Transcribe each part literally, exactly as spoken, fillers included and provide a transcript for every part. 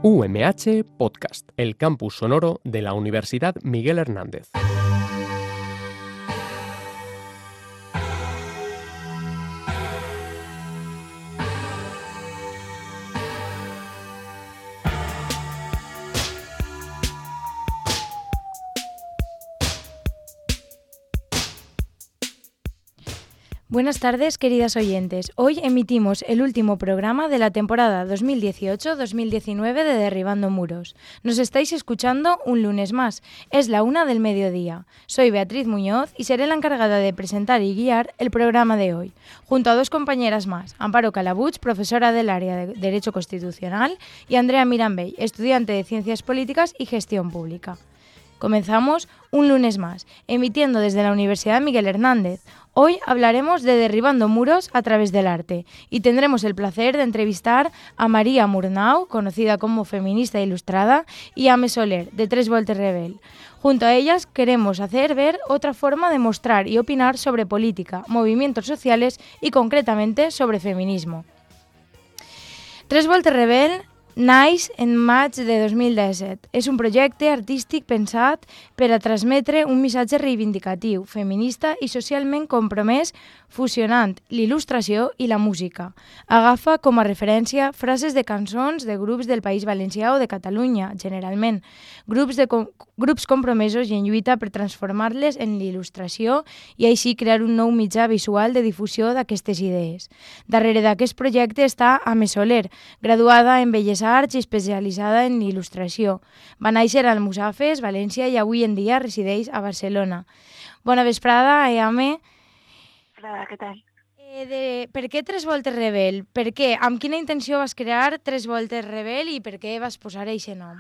U M H Podcast, el campus sonoro de la Universidad Miguel Hernández. Buenas tardes, queridas oyentes. Hoy emitimos el último programa de la temporada dos mil dieciocho dos mil diecinueve de Derribando Muros. Nos estáis escuchando un lunes más. Es la una del mediodía. Soy Beatriz Muñoz y seré la encargada de presentar y guiar el programa de hoy, junto a dos compañeras más, Amparo Calabuig, profesora del área de Derecho Constitucional, y Andrea Mirambell, estudiante de Ciencias Políticas y Gestión Pública. Comenzamos un lunes más, emitiendo desde la Universidad Miguel Hernández. Hoy hablaremos de derribando muros a través del arte y tendremos el placer de entrevistar a María Murnau, conocida como feminista ilustrada, y a Ame Soler, de Tres Voltes Rebel. Junto a ellas queremos hacer ver otra forma de mostrar y opinar sobre política, movimientos sociales y concretamente sobre feminismo. Tres Voltes Rebel naix en maig de dos mil disset. És un projecte artístic pensat per a transmetre un missatge reivindicatiu, feminista i socialment compromès, fusionant l'il·lustració i la música. Agafa com a referència frases de cançons de grups del País Valencià o de Catalunya, generalment, grups, de com grups compromesos i en lluita per transformar-les en l'il·lustració i així crear un nou mitjà visual de difusió d'aquestes idees. Darrere d'aquest projecte està Ame Soler, graduada en Belles Arts i especialitzada en il·lustració. Va néixer al Almussafes, València, i avui en dia resideix a Barcelona. Bona vesprada, eh, Ame. Hola, què tal? Eh, de, per què Tres Voltes Rebel? Per què? Amb quina intenció vas crear Tres Voltes Rebel i per què vas posar aquest nom?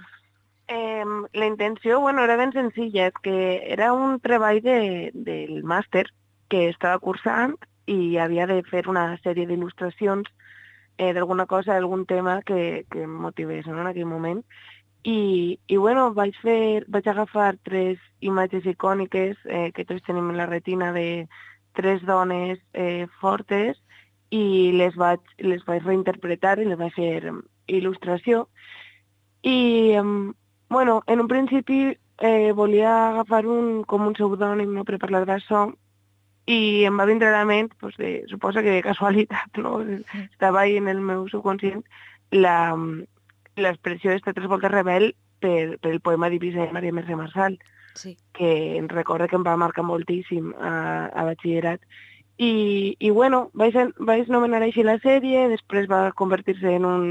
Eh, la intenció, bueno, era ben senzilla, és que era un treball de, del màster que estava cursant i havia de fer una sèrie d'il·lustracions eh, d'alguna cosa, d'algun tema que, que em motivés, no?, en aquell moment. I, i bueno, vaig, fer, vaig agafar tres imatges icòniques eh, que tots tenim en la retina de tres dones eh, fortes i les vaig, les vaig reinterpretar i les vaig fer il·lustració. I, eh, bueno, en un principi eh, volia agafar un, com un pseudònim, no?, per parlar d'això, i em va vindre a la ment, pues, de, suposo que de casualitat, no?, estava ahí en el meu subconscient la, l'expressió d'esta Tres Voltes Rebel per, per el poema d'Eivissa de Maria Mercè Marçal, sí, que em recorda que em va marcar moltíssim a, a batxillerat. I, i bueno, vaig, vaig nomenar així la sèrie, després va convertir-se en un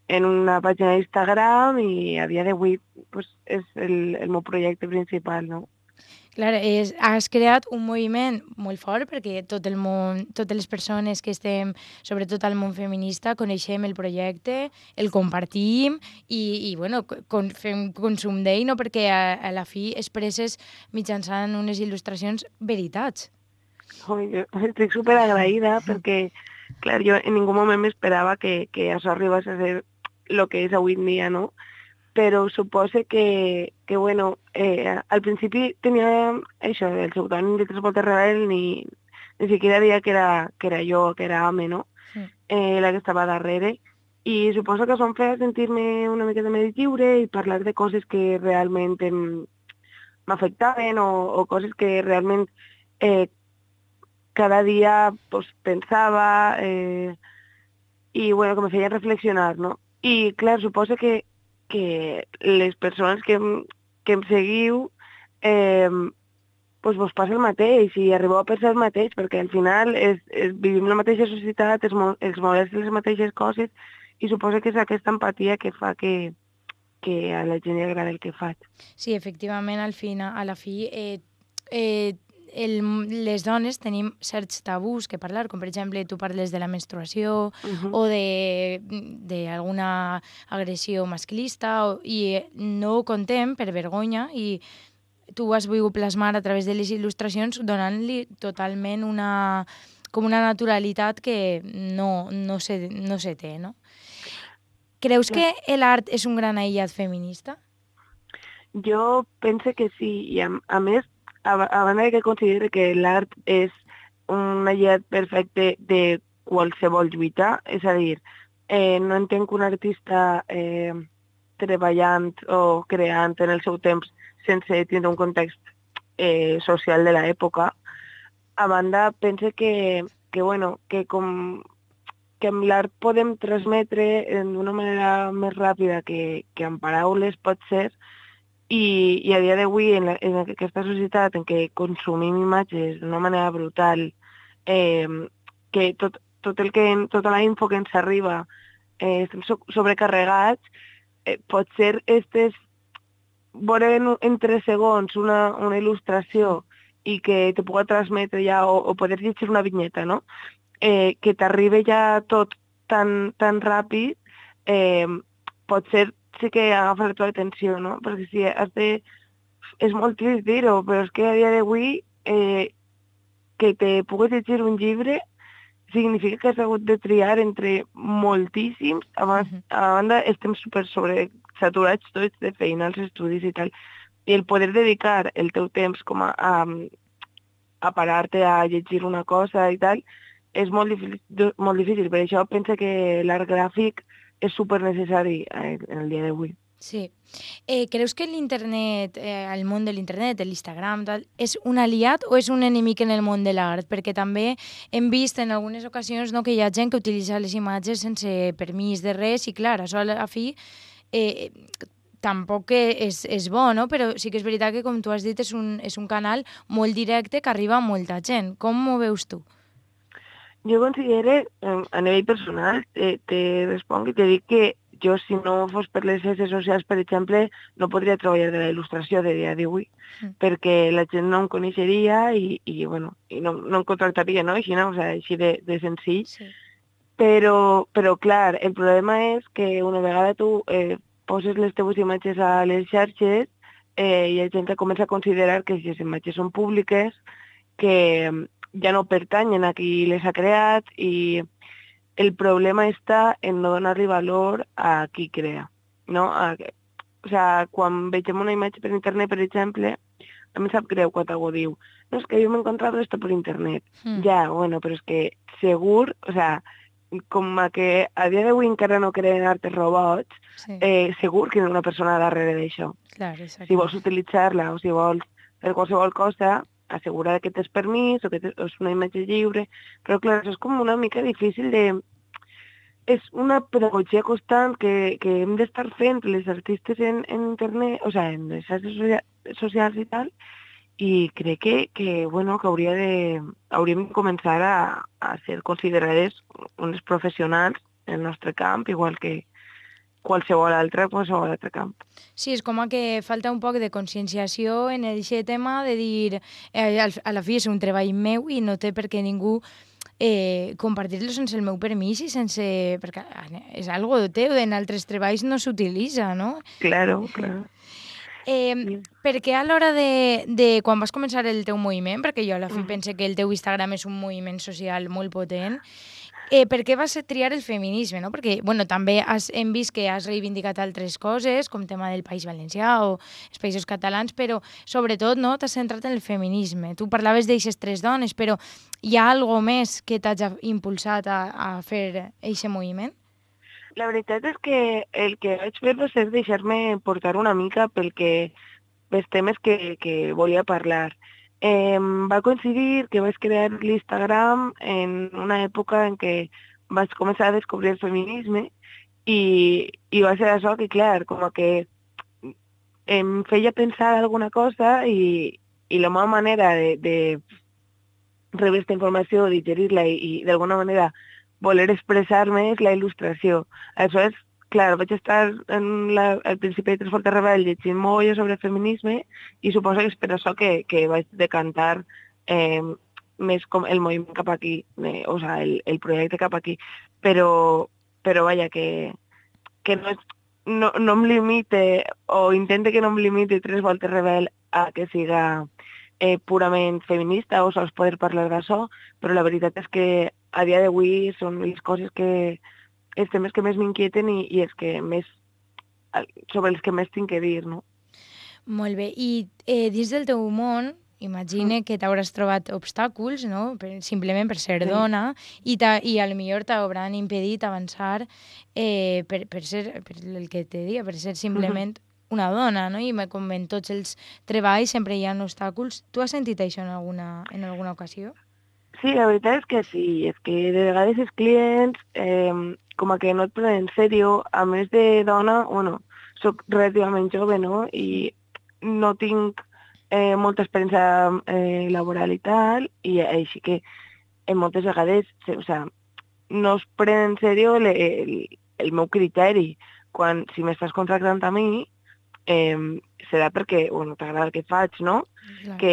en una pàgina d'Instagram i a dia d'avui pues, és el, el meu projecte principal, no? Clar, és, has creat un moviment molt fort perquè tot el món, totes les persones que estem, sobretot al món feminista, coneixem el projecte, el compartim i, i bueno, con, fem consum d'ell, no? Perquè a, a la fi expresses mitjançant unes il·lustracions veritats. Oh, jo estic superagraïda perquè, clar, jo en ningú moment m'esperava que, que això arribés a ser el que és avui en dia, no? Però suposo que, que bueno, eh, al principi tenia això, el pseudònim de Tres Voltes Rebel, ni, ni siquiera diria que era, que era jo, que era Ame, no? Sí. Eh, la que estava darrere. I suposo que això em feia sentir-me una miqueta més lliure i parlar de coses que realment m'afectaven o, o coses que realment eh, cada dia pues, pensava eh, i bueno, que me feien reflexionar, no? I clar, suposo que que les persones que, que em seguiu eh, pues vos passa el mateix i arribeu a pensar el mateix, perquè al final és, és, vivim la mateixa societat, es, es molestem les mateixes coses i suposo que és aquesta empatia que fa que, que a la gent li agrada el que faig. Sí, efectivament, al final, a la fi, eh, eh, el, les dones tenim certs tabús que parlar, com per exemple tu parles de la menstruació uh-huh. o d'alguna agressió masclista o, i no ho contem per vergonya i tu has volgut plasmar a través de les il·lustracions donant-li totalment una, com una naturalitat que no, no, se, no se té, no? Creus que l'art és un gran aïllat feminista? Jo penso que sí, i a, a més a banda que considero que l'art és un aïllat perfecte de qualsevol lluita, és a dir, Eh, no entenc un artista eh, treballant o creant en el seu temps sense tindre un context eh, social de l'època. A banda, pense que, que, bueno, que com que amb l'art podem transmetre d'una manera més ràpida que, que amb paraules pot ser, i, i a dia d'avui en, la, en aquesta societat en què consumim imatges d'una manera brutal, eh, que tot, tot el que, tota la info que ens arriba eh, estem so sobrecarregats, eh, pot ser estes, veure en, en tres segons una, una il·lustració i que te pugui transmetre ja, o, o poder llegir una vinyeta, no? Eh, que t'arribi ja tot tan, tan ràpid, eh, pot ser sí que agafa la teva atenció, no? Perquè si has de... És molt trist dir-ho, però és que a dia d'avui eh, que te puguis llegir un llibre significa que has hagut de triar entre moltíssims. A, uh -huh. a banda, estem super sobresaturats tots de feina als estudis i tal. I el poder dedicar el teu temps com a, a, a parar-te a llegir una cosa i tal, és molt difícil, molt difícil. Per això penso que l'art gràfic és super necessari en el dia d'avui. Sí. Eh, ¿Creus que l'internet, eh, el món de l'internet, l'Instagram, és un aliat o és un enemic en el món de l'art? Perquè també hem vist en algunes ocasions, no, que hi ha gent que utilitza les imatges sense permís de res i, clar, això a la fi eh, tampoc és, és bo, no? Però sí que és veritat que, com tu has dit, és un, és un canal molt directe que arriba a molta gent. Com ho veus tu? Jo considero, a nivell personal, te, te responc i te dic que jo, si no fos per les xarxes socials, per exemple, no podria treballar de la il·lustració de dia d'avui, mm. perquè la gent no em coneixeria i, i, bueno, i no, no em contractaria, no? Així, no? O sigui, així de, de senzill. Sí. Però, però, clar, el problema és que una vegada tu eh, poses les teves imatges a les xarxes, eh, hi ha gent que comença a considerar que si les imatges són públiques, que ja no pertanyen a qui les ha creat, i el problema està en no donar-li valor a qui crea, no? A, o sea, quan vegem una imatge per internet, per exemple, a mi sap greu quan algú diu no, és que jo m'he encontrat esto per internet. Mm. Ja, bueno, però és que segur, o sea, com a que a dia d'avui encara no creen artes robots, sí. eh, segur que hi ha una persona darrere d'això. Clar, exacte. Si vols utilitzar-la o si vols fer qualsevol cosa, assegurar que tens permís o que és una imatge lliure, però clar, això és com una mica difícil de... És una pedagogia constant que, que hem d'estar fent les artistes en, en internet, o sigui, en les xarxes socials i tal, i crec que, que, bueno, que hauria de, hauríem de començar a, a ser considerades unes professionals en el nostre camp, igual que qualsevol altre, qualsevol altre camp. Sí, és com que falta un poc de conscienciació en aquest tema de dir eh, a la fi és un treball meu i no té per què ningú eh, compartir-lo sense el meu permís i sense... perquè és algo teu, en altres treballs no s'utilitza, no? Claro, claro. Eh, perquè a l'hora de, de quan vas començar el teu moviment, perquè jo a la fi mm. pense que el teu Instagram és un moviment social molt potent, eh, per què vas triar el feminisme, no? Perquè, bueno, també has, hem vist que has reivindicat altres coses, com tema del País Valencià o els Països Catalans, però sobretot, no, t'has centrat en el feminisme. Tu parlaves d'eixes tres dones, però hi ha alguna més que t'hagi impulsat a, a fer aquest moviment? La veritat és que el que vaig fer va ser deixar-me portar una mica pel que, pels temes que, que volia parlar. Eh, va coincidir que vaig crear l'Instagram en una època en què vaig començar a descobrir el feminisme i, i va ser això que, clar, com que em feia pensar alguna cosa i, i la meva manera de, de rebre aquesta informació, digerir-la i, i d'alguna manera voler expressar-me és la il·lustració. Aleshores, clar, vaig estar en la, al principi de Tres Fortes Rebel llegint molt sobre feminisme i suposo que és per això que, que vaig decantar eh, més com el moviment cap aquí, eh, o sigui, el, el projecte cap aquí. Però, però vaja, que, que no, no, no em limite o intente que no em limite Tres Fortes Rebel a que siga eh, purament feminista o sols poder parlar d'això, però la veritat és que a dia d'avui són les coses que, els temes que més m'inquieten i, i els que més, sobre els que més tinc que dir, no? Molt bé. I eh, dins del teu món, imagine que t'hauràs trobat obstàculs, no? Per, simplement per ser Sí. dona, i, ta, i a lo millor t'hauran impedit avançar eh, per, per ser, per el que te diga, per ser simplement una dona, no? I me- com en tots els treballs sempre hi ha obstàculs. Tu has sentit això en alguna, en alguna ocasió? Sí, la veritat és que sí, és que de vegades els clients eh, com a que no et prenen en sèrio, a més de dona, bueno, soc relativament jove, no? I no tinc eh, molta experiència eh, laboral i tal, i així que en moltes vegades, o sea, no es prenen en sèrio el, el, el meu criteri. Quan, si m'estàs contractant a mi, eh, serà perquè, bueno, t'agrada el que faig, no? Clar. Que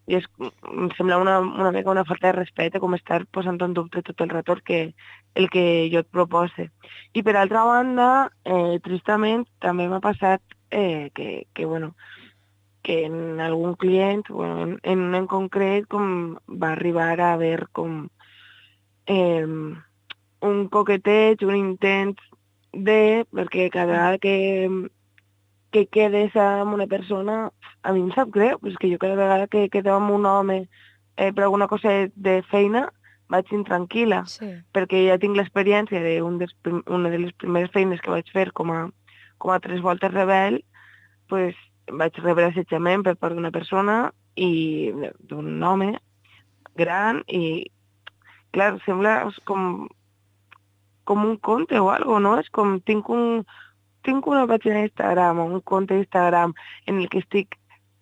és, em sembla una, una mica una falta de respecte com estar posant en dubte tot el rato el que, el que jo et propose. I per altra banda, eh, tristament, també m'ha passat eh, que, que, bueno, que en algun client, bueno, en, en un en concret, com va arribar a haver com eh, un coqueteig, un intent de, perquè cada vegada que que quedes amb una persona, a mi em sap greu, és que jo cada vegada que quedo amb un home eh, per alguna cosa de feina, vaig intranquil·la, Sí. perquè ja tinc l'experiència d'una de una de les primeres feines que vaig fer com a, com a tres voltes rebel, pues, vaig rebre assetjament per part d'una persona i d'un home gran i, clar, sembla com, com un conte o algo, no? És com, tinc un tinc una pàgina d'Instagram o un compte d'Instagram en el que estic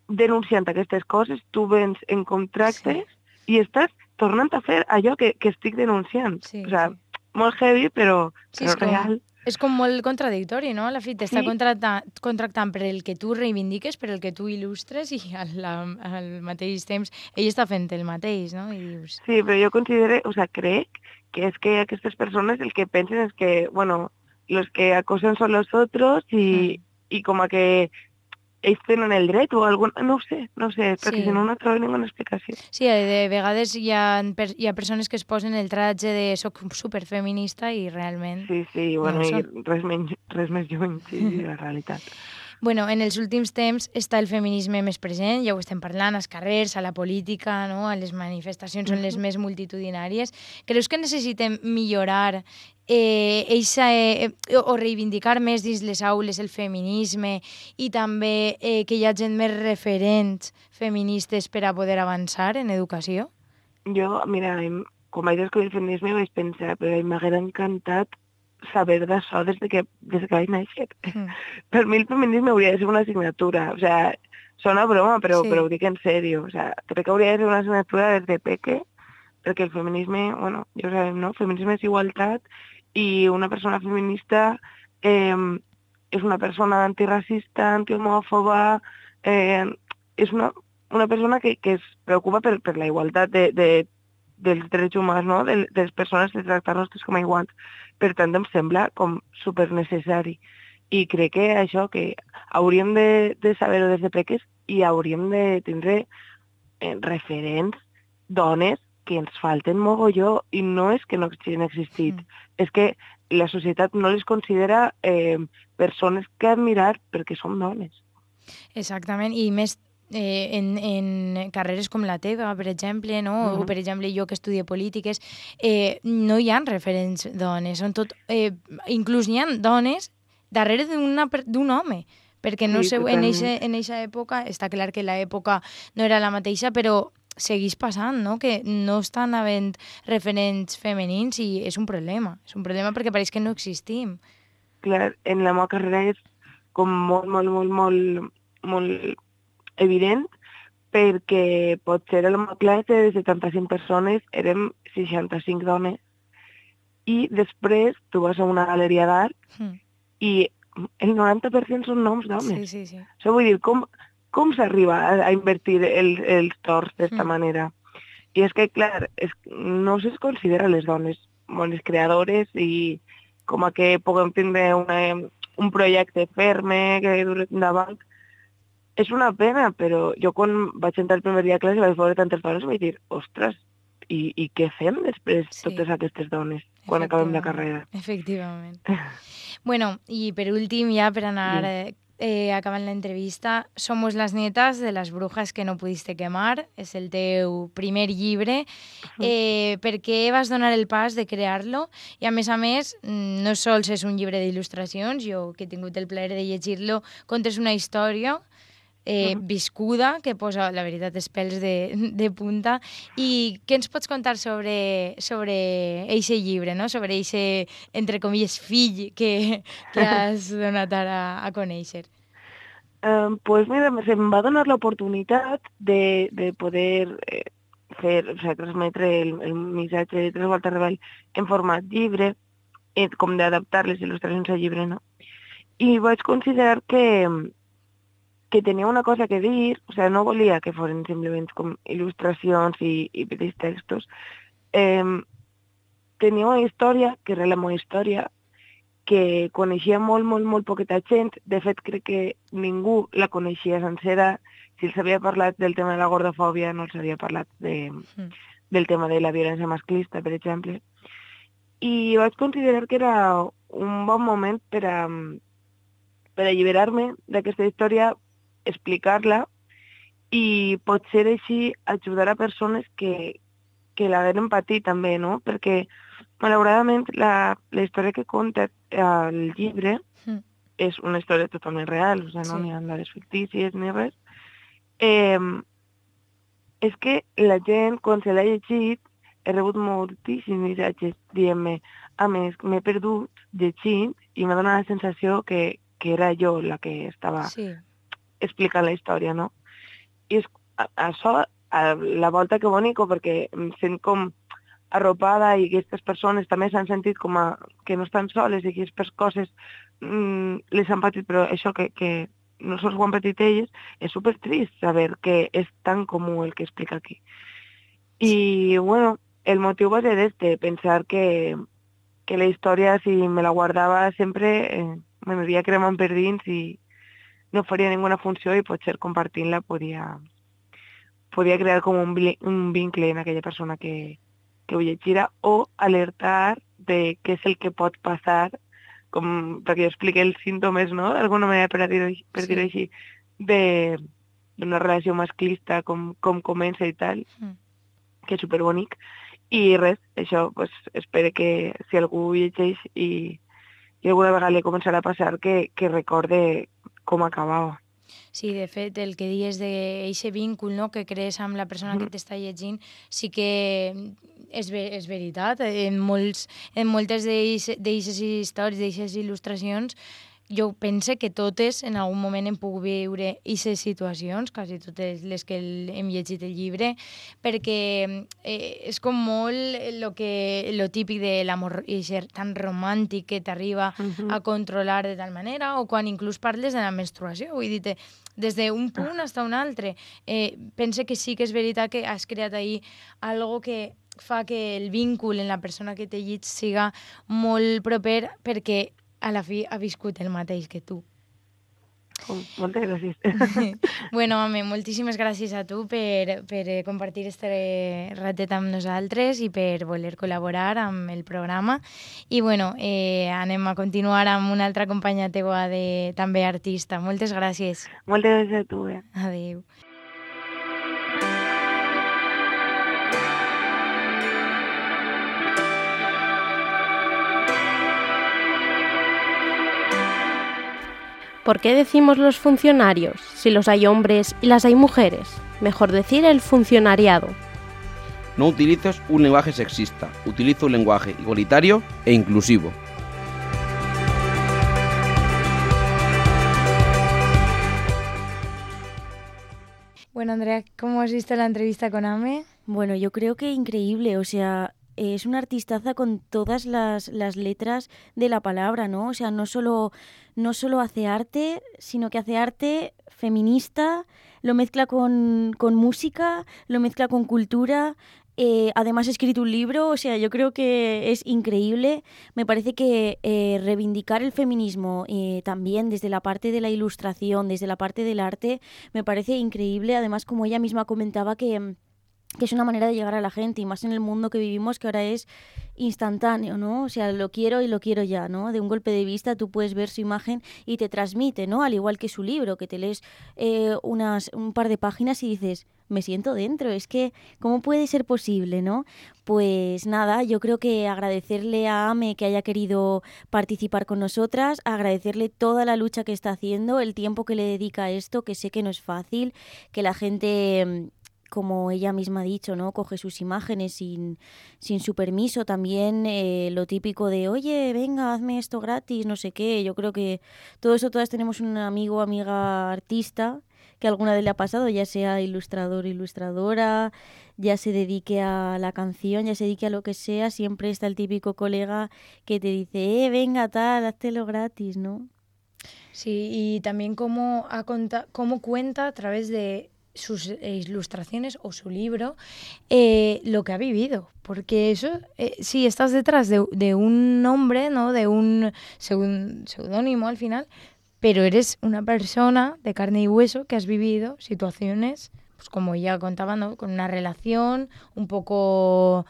denunciant aquestes coses, tu vens en contractes sí. i estàs tornant a fer allò que, que estic denunciant. Sí, o sea, sí. molt heavy, però, Sí, però és com, real. és com molt contradictori, no? A la fi t'està Sí. contractant, contractant per el que tu reivindiques, per el que tu il·lustres, i al, la, al mateix temps ell està fent el mateix, no? I dius... Sí, però jo considero, o sea, crec que és que aquestes persones el que pensen és que, bueno, los que acosen son los otros y, Mm. y como que ells tenen el dret o algun... No ho sé, no ho sé, perquè Sí. si no no trobo ninguna explicació. Sí, de vegades hi ha, per, hi ha persones que es posen el tratge de soc superfeminista i realment... Sí, sí, bueno, No ho i són. res, menys, res més lluny, sí, de la realitat. Bueno, en els últims temps està el feminisme més present, ja ho estem parlant, als carrers, a la política, no? A les manifestacions són les Mhm. més multitudinàries. Creus que necessitem millorar eh, eixa, eh, o reivindicar més dins les aules el feminisme i també eh, que hi hagi més referents feministes per a poder avançar en educació? Jo, mira, em- quan vaig descobrir el feminisme vaig pensar, però m'haguera encantat saber d'això des de que, des de que vaig néixer. Mm. Per mi el feminisme hauria de ser una assignatura, o sea, sona broma, però, Sí. però ho dic en sèrio, o sea, crec que hauria de ser una assignatura des de peque, perquè el feminisme, bueno, ja ho sabem, no? El feminisme és igualtat i una persona feminista eh, és una persona antiracista, antihomòfoba, eh, és una, una persona que, que es preocupa per, per la igualtat de, de, dels drets humans, no? De, de les persones, de tractar-nos tots com a iguals. Per tant, em sembla com super necessari. I crec que això, que hauríem de, de saber-ho des de peques i hauríem de tindre eh, referents, dones, que ens falten mogolló, i no és que no hagin existit, Mm. és que la societat no les considera eh, persones que admirar perquè són dones. Exactament, i més eh, en, en carreres com la teva, per exemple, no? Mhm. O per exemple jo que estudio polítiques, eh, no hi ha referents dones, són tot, eh, inclús n'hi ha dones darrere d'una per- d'un home, perquè no Sí, sé, en totalment. eixa, en eixa època, està clar que l'època no era la mateixa, però segueix passant, no? Que no estan havent referents femenins i és un problema, és un problema perquè pareix que no existim. Clar, en la meva carrera és com molt, molt, molt, molt, molt evident, perquè potser a la meva classe de setanta-cinc persones érem seixanta-cinc dones i després tu vas a una galeria d'art Mm. i el noranta per cent són noms d'homes. Sí, sí, sí. Això vull dir, com, com s'arriba a, a invertir el, els torns d'esta Mm. manera? I és que, clar, és, no se considera les dones bones creadores i com a que puguem tindre una, un projecte ferme que duri endavant. És una pena, però jo quan vaig entrar el primer dia a classe vaig veure tantes dones i vaig dir, ostres, i, i què fem després Sí. totes aquestes dones quan acabem la carrera? Efectivament. Bueno, i per últim, ja per anar Sí. eh, eh, acabant l'entrevista, Somos las nietas de las brujas que no pudiste quemar. És el teu primer llibre. Eh, per què vas donar el pas de crear-lo? I a més a més, no sols és un llibre d'il·lustracions, jo que he tingut el plaer de llegir-lo, contes una història eh, uh -huh. viscuda, que posa, la veritat, els pèls de, de punta. I què ens pots contar sobre sobre eixe llibre, no? Sobre eixe, entre comilles, fill que, que has donat ara a conèixer? Um, pues mira, se'm va donar l'oportunitat de, de poder eh, fer, o sigui, transmetre el, el missatge de Tres Voltes Rebel en format llibre, eh, com d'adaptar les il·lustracions al llibre, no? I vaig considerar que que tenia una cosa que dir, o sigui, no volia que fossin simplement com il·lustracions i, i petits textos. Eh, tenia una història, que era la meva història, que coneixia molt, molt, molt poqueta gent. De fet, crec que ningú la coneixia sencera. Si els havia parlat del tema de la gordofòbia, no els havia parlat de, mm. del tema de la violència masclista, per exemple. I vaig considerar que era un bon moment per a, per alliberar-me d'aquesta història, explicar-la i potser així ajudar a persones que, que l'hagueren patit també, no? Perquè, malauradament, la, la història que conta el llibre mm. és una història totalment real, o sigui, no sí. N'hi ha dades fictícies ni res. Eh, és que la gent, quan se l'ha llegit, he rebut moltíssims missatges dient-me, a més, m'he perdut llegint i m'ha donat la sensació que, que era jo la que estava... Sí. Explicant la història, no? I és, això, a la volta que bonico, perquè em sent com arropada i aquestes persones també s'han sentit com a, que no estan soles i que aquestes coses mm, les han patit, però això que, que no sols ho han patit elles, és supertrist saber que és tan comú el que explica aquí. I, bueno, el motiu va ser este, pensar que, que la història, si me la guardava sempre, eh, m'aniria cremant per dins i no faria ninguna funció i potser compartint-la podia, podia crear com un, un vincle en aquella persona que, que ho llegirà o alertar de què és el que pot passar, com, perquè jo expliqué els símptomes, no?, d'alguna manera, per dir-ho per sí. dir així, d'una relació masclista, com, com comença i tal, mm. que és superbonic. I res, això, pues, espero que si algú llegeix i, i alguna vegada li començarà a passar, que, que recorde com acabava. Sí, de fet, el que dius d'aquest vincul, no?, que crees amb la persona mm. que t'està llegint, sí que és, ver és veritat. En, molts, en moltes d'aquestes històries, d'aquestes il·lustracions, jo pense que totes en algun moment hem pogut viure aquestes situacions, quasi totes les que hem llegit el llibre, perquè eh, és com molt lo, que, lo típic de l'amor tan romàntic que t'arriba uh-huh. a controlar de tal manera, o quan inclús parles de la menstruació, vull dir, des d'un punt fins a un altre. Eh, pense que sí que és veritat que has creat ahir algo que fa que el vincul en la persona que t'he llegit siga molt proper, perquè a la fi ha viscut el mateix que tu. Oh, moltes gràcies. Bueno, home, moltíssimes gràcies a tu per, per compartir este ratet amb nosaltres i per voler col·laborar amb el programa. I bueno, eh, anem a continuar amb una altra companya teua de, també artista. Moltes gràcies. Moltes gràcies a tu. Eh? Adéu. ¿Por qué decimos los funcionarios si los hay hombres y las hay mujeres? Mejor decir el funcionariado. No utilices un lenguaje sexista, utiliza un lenguaje igualitario e inclusivo. Bueno, Andrea, ¿cómo has visto la entrevista con Ame? Bueno, yo creo que increíble, o sea, es una artistaza con todas las, las letras de la palabra, ¿no? O sea, no solo, no solo hace arte, sino que hace arte feminista, lo mezcla con, con música, lo mezcla con cultura. Eh, además ha escrito un libro, o sea, yo creo que es increíble. Me parece que eh, reivindicar el feminismo eh, también desde la parte de la ilustración, desde la parte del arte, me parece increíble. Además, como ella misma comentaba, que que es una manera de llegar a la gente, y más en el mundo que vivimos, que ahora es instantáneo, ¿no? O sea, lo quiero y lo quiero ya, ¿no? De un golpe de vista tú puedes ver su imagen y te transmite, ¿no? Al igual que su libro, que te lees eh, unas, un par de páginas y dices, me siento dentro, es que, ¿cómo puede ser posible, no? Pues nada, yo creo que agradecerle a Ame que haya querido participar con nosotras, agradecerle toda la lucha que está haciendo, el tiempo que le dedica a esto, que sé que no es fácil, que la gente, como ella misma ha dicho, ¿no? Coge sus imágenes sin, sin su permiso. También eh, lo típico de, oye, venga, hazme esto gratis, no sé qué. Yo creo que todo eso, todas tenemos un amigo o amiga artista que alguna vez le ha pasado, ya sea ilustrador o ilustradora, ya se dedique a la canción, ya se dedique a lo que sea, siempre está el típico colega que te dice, eh, venga, tal, háztelo gratis, ¿no? Sí, y también cómo, ha conta, cómo cuenta a través de sus ilustraciones o su libro eh, lo que ha vivido, porque eso eh, sí, estás detrás de, de un nombre, ¿no? De un seudónimo al final, pero eres una persona de carne y hueso que has vivido situaciones, pues como ya contaba, ¿no? Con una relación un poco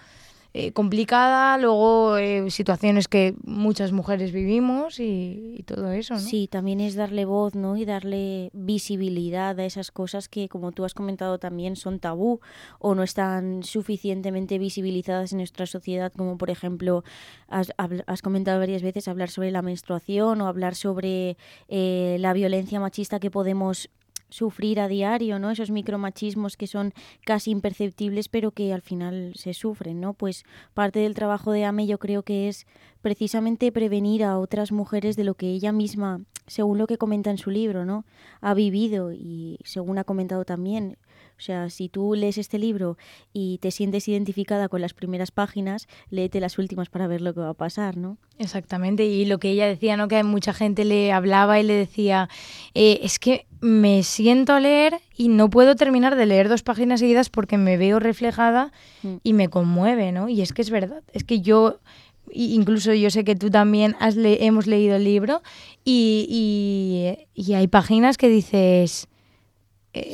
eh, complicada, luego eh, situaciones que muchas mujeres vivimos y, y todo eso, ¿no? Sí, también es darle voz, ¿no? Y darle visibilidad a esas cosas que, como tú has comentado también, son tabú o no están suficientemente visibilizadas en nuestra sociedad, como por ejemplo, has, has comentado varias veces hablar sobre la menstruación o hablar sobre eh, la violencia machista que podemos sufrir a diario, ¿no? Esos micromachismos que son casi imperceptibles pero que al final se sufren, ¿no? Pues parte del trabajo de Ame yo creo que es precisamente prevenir a otras mujeres de lo que ella misma, según lo que comenta en su libro, ¿no? Ha vivido y según ha comentado también. O sea, si tú lees este libro y te sientes identificada con las primeras páginas, léete las últimas para ver lo que va a pasar, ¿no? Exactamente, y lo que ella decía, ¿no? Que mucha gente le hablaba y le decía, eh, es que me siento a leer y no puedo terminar de leer dos páginas seguidas porque me veo reflejada mm. y me conmueve, ¿no? Y es que es verdad, es que yo, incluso yo sé que tú también has le- hemos leído el libro y, y, y hay páginas que dices...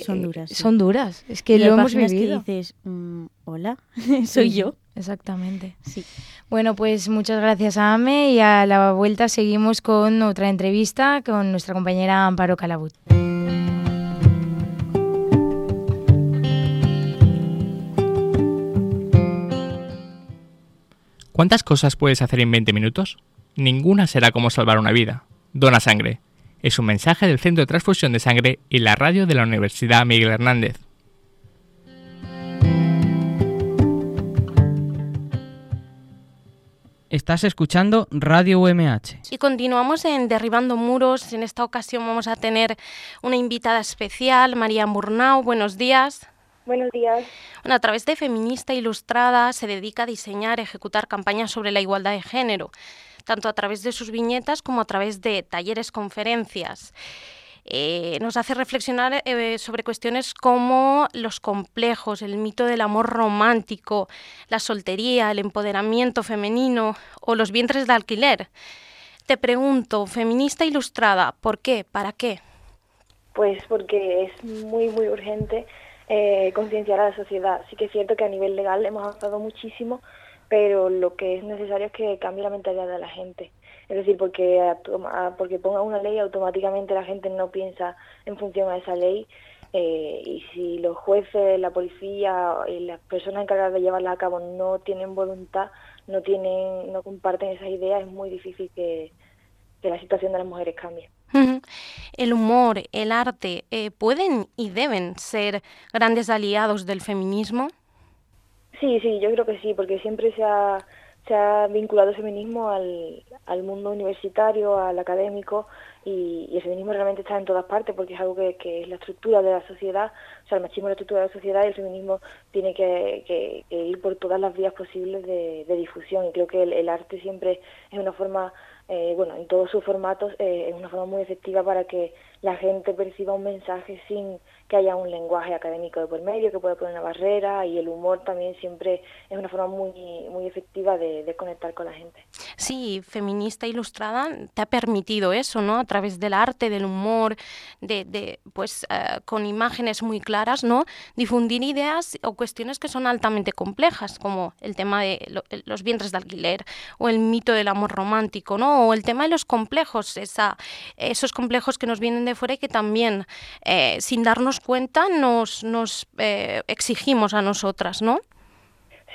Son duras. Sí. Son duras, es que y lo hay hemos vivido. Que dices, mmm, hola, soy sí, yo. Exactamente. Sí. Bueno, pues muchas gracias a Ame y a la vuelta seguimos con otra entrevista con nuestra compañera Amparo Calabut. ¿Cuántas cosas puedes hacer en veinte minutos? Ninguna será como salvar una vida. Dona sangre. Es un mensaje del Centro de Transfusión de Sangre y la radio de la Universidad Miguel Hernández. Estás escuchando Radio U M H. Y continuamos en Derribando Muros. En esta ocasión vamos a tener una invitada especial, María Murnau. Buenos días. Buenos días. Bueno, a través de Feminista Ilustrada se dedica a diseñar y ejecutar campañas sobre la igualdad de género, tanto a través de sus viñetas como a través de talleres, conferencias. Eh, nos hace reflexionar eh, sobre cuestiones como los complejos, el mito del amor romántico, la soltería, el empoderamiento femenino o los vientres de alquiler. Te pregunto, Feminista Ilustrada, ¿por qué? ¿Para qué? Pues porque es muy, muy urgente eh, concienciar a la sociedad. Sí que es cierto que a nivel legal hemos avanzado muchísimo, pero lo que es necesario es que cambie la mentalidad de la gente. Es decir, porque, porque ponga una ley, automáticamente la gente no piensa en función a esa ley, eh, y si los jueces, la policía y las personas encargadas de llevarla a cabo no tienen voluntad, no tienen, no comparten esas ideas, es muy difícil que, que la situación de las mujeres cambie. El humor, el arte, eh, ¿pueden y deben ser grandes aliados del feminismo? Sí, sí, yo creo que sí, porque siempre se ha, se ha vinculado el feminismo al, al mundo universitario, al académico, y, y el feminismo realmente está en todas partes porque es algo que, que es la estructura de la sociedad. O sea, el machismo es la estructura de la sociedad y el feminismo tiene que, que, que ir por todas las vías posibles de, de difusión, y creo que el, el arte siempre es una forma, eh, bueno, en todos sus formatos, eh, es una forma muy efectiva para que la gente perciba un mensaje sin que haya un lenguaje académico de por medio que pueda poner una barrera, y el humor también siempre es una forma muy muy efectiva de, de conectar con la gente. Sí, feminista ilustrada te ha permitido eso, ¿no? A través del arte, del humor, de, de pues uh, con imágenes muy claras, ¿no? Difundir ideas o cuestiones que son altamente complejas, como el tema de lo, los vientres de alquiler o el mito del amor romántico, ¿no? O el tema de los complejos, esa, esos complejos que nos vienen de fuera y que también, eh, sin darnos cuenta, nos, nos eh, exigimos a nosotras, ¿no?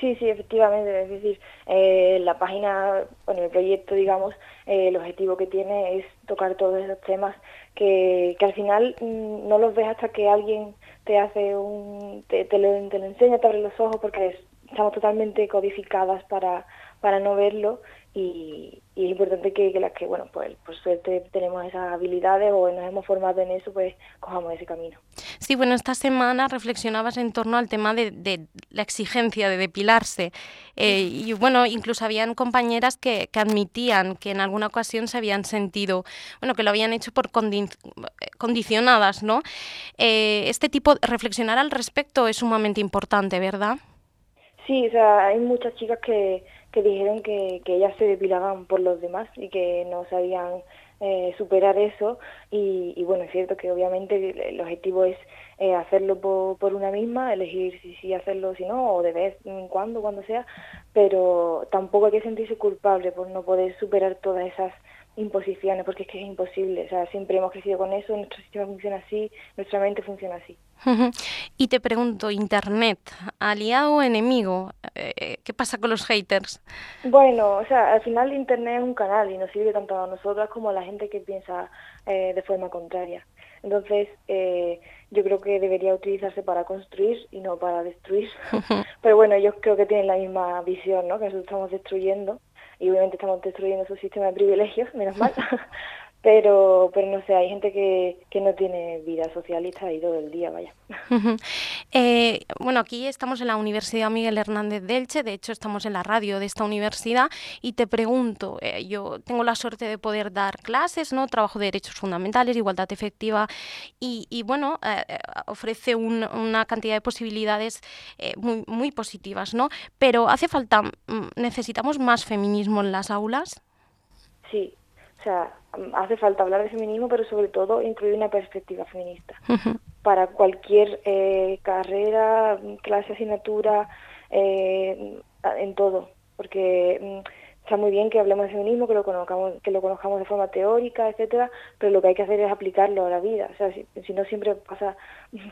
Sí, sí, efectivamente. Es decir, eh, la página, bueno, el proyecto, digamos, eh, el objetivo que tiene es tocar todos esos temas que, que al final mmm, no los ves hasta que alguien te hace un, te, te, lo, te lo enseña, te abre los ojos, porque es, estamos totalmente codificadas para, para no verlo. Y, y es importante que, que las que, bueno, pues por suerte tenemos esas habilidades o nos hemos formado en eso, pues cojamos ese camino. Sí, bueno, esta semana reflexionabas en torno al tema de, de la exigencia de depilarse eh, y bueno, incluso habían compañeras que, que admitían que en alguna ocasión se habían sentido, bueno, que lo habían hecho por condi- condicionadas, ¿no? Eh, este tipo, reflexionar al respecto es sumamente importante, ¿verdad? Sí, o sea, hay muchas chicas que, que dijeron que, que ellas se depilaban por los demás y que no sabían eh, superar eso y, y bueno, es cierto que obviamente el objetivo es eh, hacerlo por, por una misma, elegir si sí hacerlo o si no, o de vez en cuando, cuando sea, pero tampoco hay que sentirse culpable por no poder superar todas esas imposiciones, porque es que es imposible, o sea, siempre hemos crecido con eso, nuestro sistema funciona así, nuestra mente funciona así. Y te pregunto, ¿Internet, aliado o enemigo? Eh, ¿Qué pasa con los haters? Bueno, o sea, al final Internet es un canal y nos sirve tanto a nosotras como a la gente que piensa eh, de forma contraria. Entonces, eh, yo creo que debería utilizarse para construir y no para destruir. Pero bueno, ellos creo que tienen la misma visión, ¿no? Que nosotros estamos destruyendo y obviamente estamos destruyendo su sistema de privilegios, menos mal. Pero, pero no sé, hay gente que, que no tiene vida socialista ahí todo el día, vaya. eh, bueno, aquí estamos en la Universidad Miguel Hernández de Elche, de hecho estamos en la radio de esta universidad y te pregunto, eh, yo tengo la suerte de poder dar clases, ¿no? Trabajo de derechos fundamentales, igualdad efectiva y, y bueno, eh, ofrece un, una cantidad de posibilidades eh, muy, muy positivas, ¿no? Pero hace falta, ¿necesitamos más feminismo en las aulas? Sí. O sea, hace falta hablar de feminismo, pero sobre todo incluir una perspectiva feminista. Uh-huh. Para cualquier eh, carrera, clase, asignatura, eh, en todo. Porque mm, está muy bien que hablemos de feminismo, que lo conozcamos, que lo conozcamos de forma teórica, etcétera, pero lo que hay que hacer es aplicarlo a la vida. O sea, si, si no siempre pasa,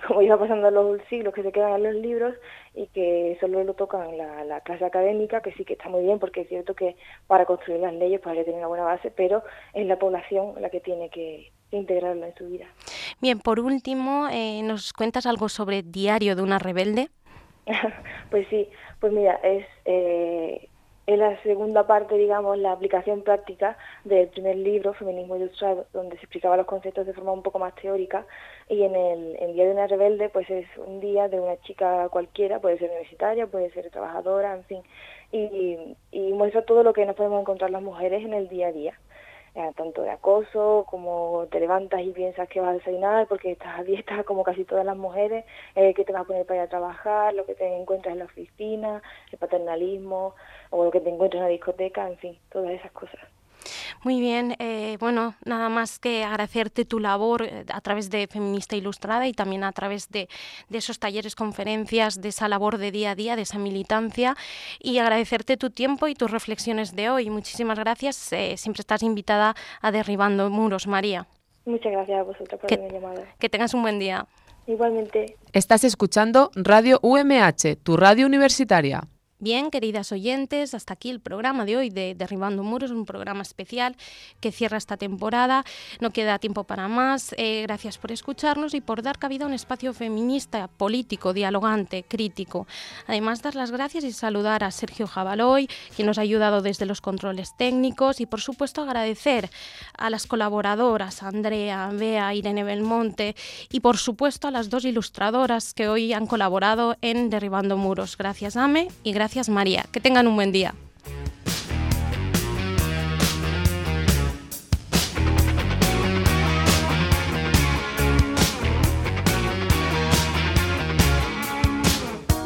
como iba pasando en los siglos, que se quedan en los libros y que solo lo tocan la, la clase académica, que sí que está muy bien, porque es cierto que para construir las leyes pues hay que tener una buena base, pero es la población la que tiene que integrarlo en su vida. Bien, por último, eh, ¿nos cuentas algo sobre Diario de una rebelde? Pues sí, pues mira, es... Eh, Es la segunda parte, digamos, la aplicación práctica del primer libro, Feminismo Ilustrado, donde se explicaba los conceptos de forma un poco más teórica. Y en el en Día de una Rebelde, pues es un día de una chica cualquiera, puede ser universitaria, puede ser trabajadora, en fin. Y, y muestra todo lo que nos podemos encontrar las mujeres en el día a día. Eh, tanto de acoso, como te levantas y piensas que vas a desayunar porque estás a dieta, como casi todas las mujeres, eh, que te vas a poner para ir a trabajar, lo que te encuentras en la oficina, el paternalismo, o lo que te encuentras en la discoteca, en fin, todas esas cosas. Muy bien, eh, bueno, nada más que agradecerte tu labor a través de Feminista Ilustrada y también a través de, de esos talleres, conferencias, de esa labor de día a día, de esa militancia y agradecerte tu tiempo y tus reflexiones de hoy. Muchísimas gracias, eh, siempre estás invitada a Derribando Muros, María. Muchas gracias a vosotros por haberme llamado. Que tengas un buen día. Igualmente. Estás escuchando Radio U M H, tu radio universitaria. Bien, queridas oyentes, hasta aquí el programa de hoy de Derribando Muros, un programa especial que cierra esta temporada. No queda tiempo para más. Eh, gracias por escucharnos y por dar cabida a un espacio feminista, político, dialogante, crítico. Además, dar las gracias y saludar a Sergio Jabaloy, quien nos ha ayudado desde los controles técnicos, y por supuesto agradecer a las colaboradoras, a Andrea, Bea, Irene Belmonte, y por supuesto a las dos ilustradoras que hoy han colaborado en Derribando Muros. Gracias, Ame, y gracias Gracias, María. Que tengan un buen día.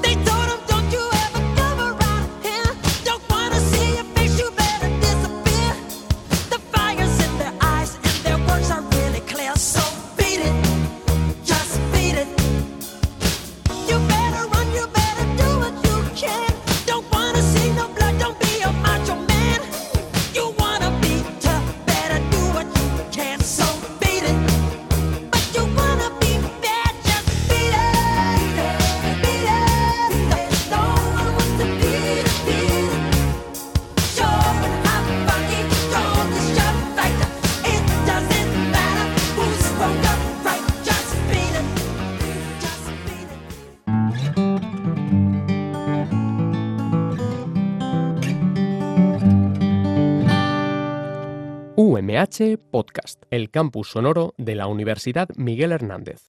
They told him, don't you ever come around here. Don't wanna see your face, you better disappear. U M H Podcast, el campus sonoro de la Universidad Miguel Hernández.